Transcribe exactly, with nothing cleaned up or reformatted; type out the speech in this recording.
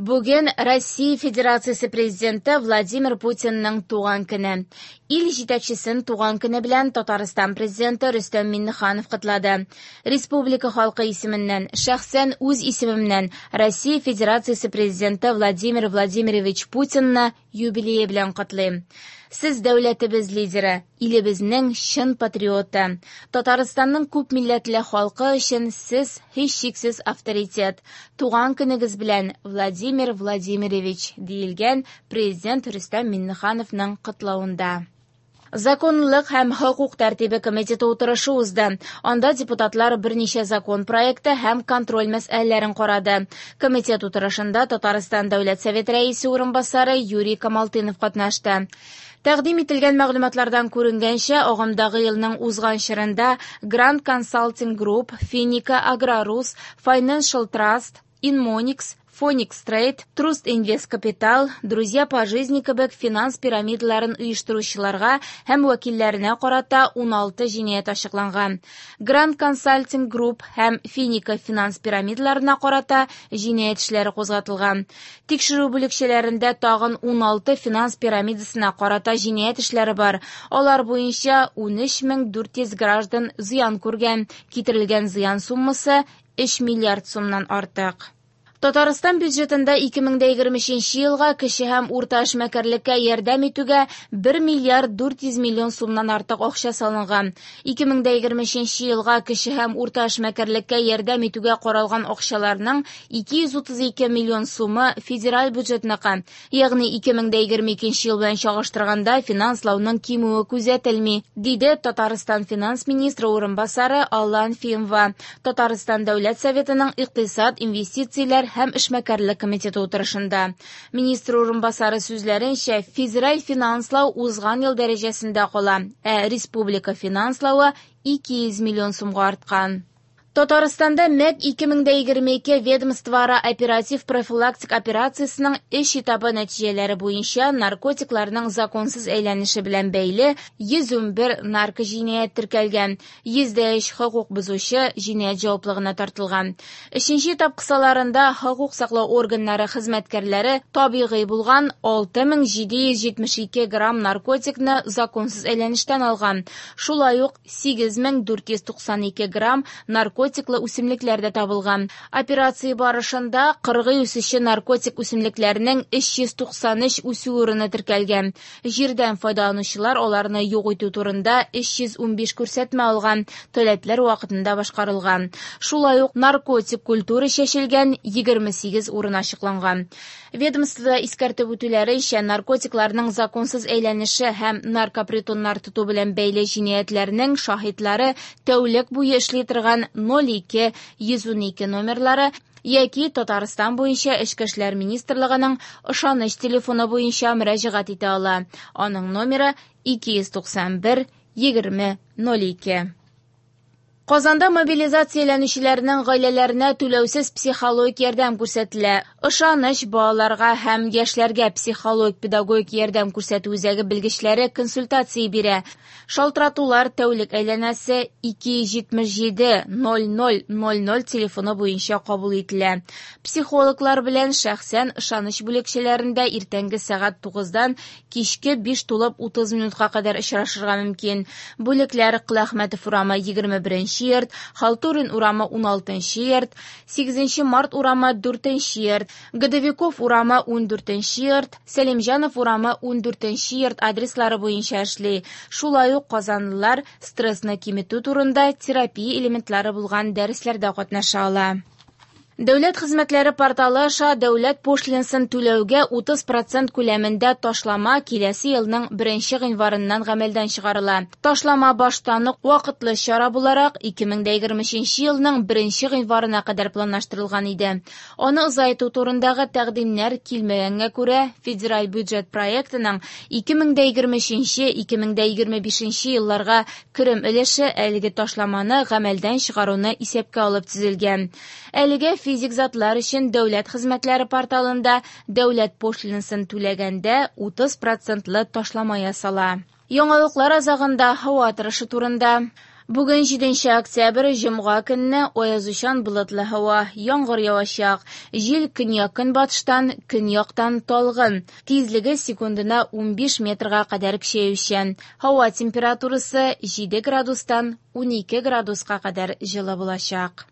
Бүген Россия Федерациясе Президенты Владимир Путинның туган көне. Ил җитәкчесен туган көне белән Татарстан Президенты Рөстәм Миңнеханов котлады. Республика халкы исеменнән, шәхсән үз исемемнән Россия Федерациясе Президенты Владимир Владимирович Путинны юбилее белән котлыйм. Сез дәүләтебез лидеры, илебезнең чын патриоты. Татарстанның күп милләтле халкы өчен сез һичшиксез авторитет. Туган көнегез белән, Владимир Владимирович, диелгән Президент Рөстәм Миңнехановның котлавында. Законлылык һәм хокук тәртибе комитеты утырышы узды. Анда депутатлар берничә закон проекты һәм контроль мәсьәләләрен карады. Комитет утырышында Татарстан Дәүләт Советы рәисе урынбасары Юрий Камалтынов катнашты. Тәкъдим ителгән мәгълүматлардан күренгәнчә, агымдагы елның узган чорында Grand Consulting Group, Финика, Аграрус, Financial Trust, Inmonix, Phoenix Trade, Trust Invest Capital, Друзья по жизни кебек финанс пирамидаларын оештыручыларга һәм вәкилләренә карата уналты җинаять ачыкланган. Grand Consulting Group һәм Финика финанс пирамидаларына карата җинаять эшләре кузгатылган. Тикшерү бүлекчәләрендә тагын уналты финанс пирамидасына карата җинаять эшләре бар. Алар буенча унөч мең дүрт йөз граждан зыян күргән. Китерелгән зыян суммасы өч миллиард сумнан артык. Татарстан бюджетында ике мең дә егерме өченче елга кече һәм урта эшмәкәрлеккә ярдәм итүгә бер миллиард дүрт йөз миллион сумнан артык акча салынган. Ике мең дә егерме өченче елга кече һәм урта эшмәкәрлеккә ярдәм итүгә каралган акчаларның ике йөз утыз ике миллион сумы федераль бюджетныкы. Ягъни ике мең дә егерме икенче ел белән чагыштырганда финанслауның кимүе күзәтелми, диде Татарстан финанс министры урынбасары Алла Анфимова. Татарстан Дәүләт Советының икътисад, инвестицияләр һәм эшмәкәрлек комитеты утырышында. Министр урынбасары сүзләренчә, федераль финанслау узган ел дәрәҗәсендә кала, ә республика финанславы ике йөз миллион сумга арткан. Татарстанда МЭК ике мең дә егерме ике ведомствоара оператив профилактик операциясенең өч этабы нәтиҗәләре буенча наркотикларның законсыз әйләнеше белән бәйле йөз унбер наркоҗинаять теркәлгән, йөз дә өч хокук бозучы җинаять җаваплыгына тартылган. Өченче этап кысаларында хокук саклау органнары хезмәткәрләре табигый булган алты мең җиде йөз җитмеш ике грамм наркотикны законсыз әйләнештән алган. Шулай ук сигез мең дүрт йөз туксан ике грамм наркотик наркотиклы үсемлекләр дә табылган. Операция барышында кыргый үсүче наркотик үсемлекләрнең өч йөз туксан өч үсү урыны теркәлгән. Җирдән файдаланучылар аларны юк итү турында өч йөз унбиш күрсәтмә алган, таләпләр вакытында башкарылган. Шулай ук наркотик культура чәчелгән егерме сигез урын ачыкланган. Ведомствода искәртеп үтүләренчә, наркотикларның законсыз әйләнеше һәм наркопритоннар тоту белән бәйле җинаятьләрнең шаһитлары тәүлек буе эшли торган ноль ике йөз унике номерлары яки Татарстан буенча Эчке эшләр министрлыгының ышаныч телефоны буенча мөрәҗәгать итә ала. Аның номеры ике йөз туксан бер егерме ноль ике. Казанда мобилизацияләнүчеләрнең гаиләләренә түләүсез психологик ярдәм күрсәтелә. Ышаныч балаларга һәм яшьләргә психологик-педагогик ярдәм күрсәтү үзәге белгечләре консультация бирә. Шалтыратулар тәүлек әйләнәсе ике йөз җитмеш җиде ноль ноль ноль ноль телефоны буенча кабул ителә. Психологлар белән шәхсән ышаныч бүлекчәләрендә иртәнге сәгать тугыздан кичке биш тулып утыз минутка кадәр очрашырга мөмкин. Бүлекләр Кыләхмәтов урамы егерме беренче йорт, Халтурин урамы уналтынчы йорт, сигезенче март урамы дүртенче йорт, Годовиков урамы ундүртенче йорт, Сәлимҗанов урамы ундүртенче йорт адреслары буенча эшли. Шулай ук казанлылар стрессны киметү турында терапия элементлары булган дәресләрдә катнаша ала. Дәүләт хезмәтләре порталы аша дәүләт пошлинасын түләүгә утыз процент күләмендә ташлама киләсе елның беренче гыйнварыннан гамәлдән чыгарыла. Ташлама баштан ук вакытлы чара буларак ике мең дә егерме өченче елның беренче гыйнварына кадәр планлаштырылган иде. Аны озайту турындагы тәкъдимнәр килмәгәнгә күрә федераль бюджет проектының ике мең дә егерме өченче ике мең дә егерме бишенче елларга керем өлеше әлеге ташламаны гамәлдән чыгаруны исәпкә алып төзелгән. Әлегә физик затлар өчен дәүләт хезмәтләре порталында дәүләт пошлинасын түләгәндә утыз процентлы ташлама ясала. Яңалыклар азагында һава торышы турында. Бүген җиденче октябрь, җомга көнне аязучан болытлы һава, яңгыр явачак. Җил көньяк-көнбатыштан, көньяктан талгын, тизлеге секундына унбиш метрга кадәр көчәючән. Һава температурасы җиде градустан унике градуска кадәр җылы булачак.